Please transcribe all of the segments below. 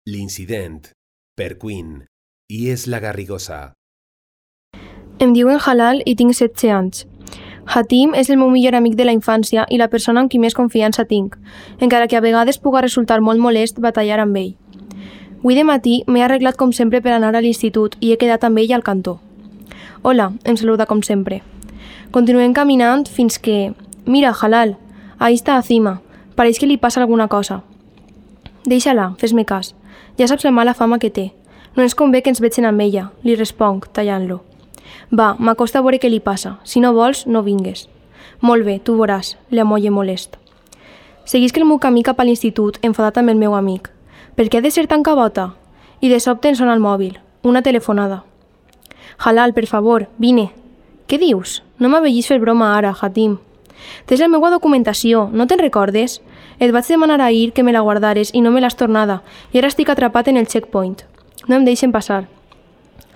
L'incident, per Queen, i és la Garrigosa. Em diuen Halal i tinc 16 anys. Hatim és el meu millor amic de la infància i la persona amb qui més confiança tinc, encara que a vegades puga resultar molt molest batallar amb ell. Avui de matí m'he arreglat com sempre per anar a l'institut i he quedat amb ell al cantó. Hola, em saluda com sempre. Continuem caminant fins que... Mira, Halal, ahí està Azima. Pareix que li passa alguna cosa. Deixa-la, fes-me cas. Ja saps la mala fama que té. No ens convé que ens vegin amb ella, li responc, tallant-lo. Va, m'acosta a veure què li passa. Si no vols, no vingues. Molt bé, tu veuràs, li amolle molest. Seguisc el meu camí cap a l'institut, enfadat amb el meu amic. Per què ha de ser tan cabota? I de sobte em sona el mòbil. Una telefonada. Halal, per favor, vine. Què dius? No m'avellis fer broma ara, Hatim. Tens la meva documentació, no te'n recordes? Et vaig demanar ahir que me la guardares i no me l'has tornada, i ara estic atrapat en el checkpoint. No em deixen passar.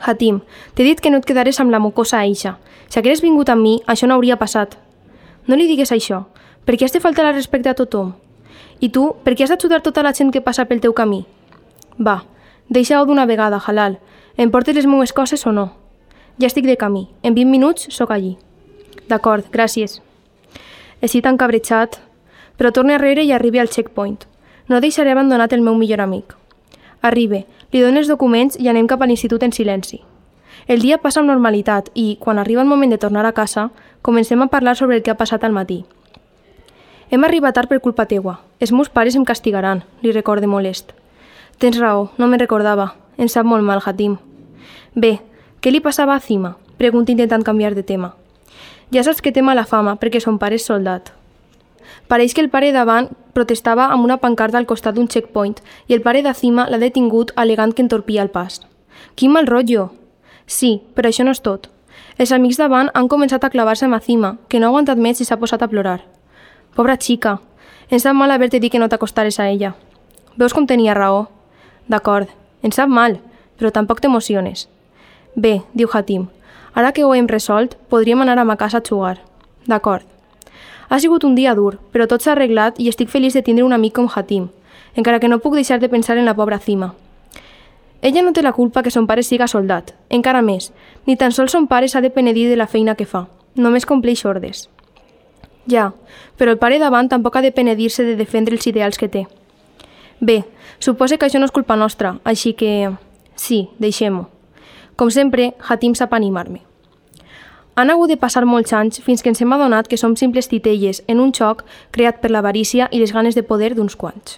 Hatim, t'he dit que no et quedares amb la mocosa eixa. Si hagueres vingut amb mi, això no hauria passat. No li digues això. Per què has de faltar al respecte a tothom? I tu, per què has d'ajudar tota la gent que passa pel teu camí? Va, deixa-ho d'una vegada, Halal. Em portes les meves coses o no? Ja estic de camí. En 20 minuts sóc allí. D'acord, gràcies. Estic tan cabrejat, però torne arrere i arribi al checkpoint. No deixaré abandonat el meu millor amic. Arribe, li dono els documents i anem cap a l'institut en silenci. El dia passa amb normalitat i, quan arriba el moment de tornar a casa, comencem a parlar sobre el que ha passat al matí. Hem arribat tard per culpa teua. Els meus pares em castigaran, li recorde molest. Tens raó, no me'n recordava. Em sap molt mal, Hatim. Bé, què li passava a Azima? Pregunta intentant canviar de tema. Ja saps que té mala fama perquè son pare és soldat. Pareix que el pare davant protestava amb una pancarta al costat d'un checkpoint i el pare d'Azima l'ha detingut alegant que entorpia el pas. Quin mal rotllo! Sí, però això no és tot. Els amics davant han començat a clavar-se amb Azima, que no ha aguantat més i s'ha posat a plorar. Pobra xica, ens sap mal haver-te dit que no t'acostares a ella. Veus com tenia raó? D'acord, ens sap mal, però tampoc t'emociones. Bé, diu Hatim, ara que ho hem resolt, podríem anar a ma casa a jugar. D'acord. Ha sigut un dia dur, però tot s'ha arreglat i estic feliç de tindre un amic com Hatim, encara que no puc deixar de pensar en la pobra Azima. Ella no té la culpa que son pare siga soldat, encara més, ni tan sols son pare s'ha de penedir de la feina que fa, només compleix ordres. Ja, però el pare davant tampoc ha de penedir-se de defendre els ideals que té. Bé, suposa que això no és culpa nostra, així que... Sí, deixem-ho. Com sempre, Hatim sap animar-me. Han hagut de passar molts anys fins que ens hem adonat que som simples titelles en un xoc creat per l'avarícia i les ganes de poder d'uns quants.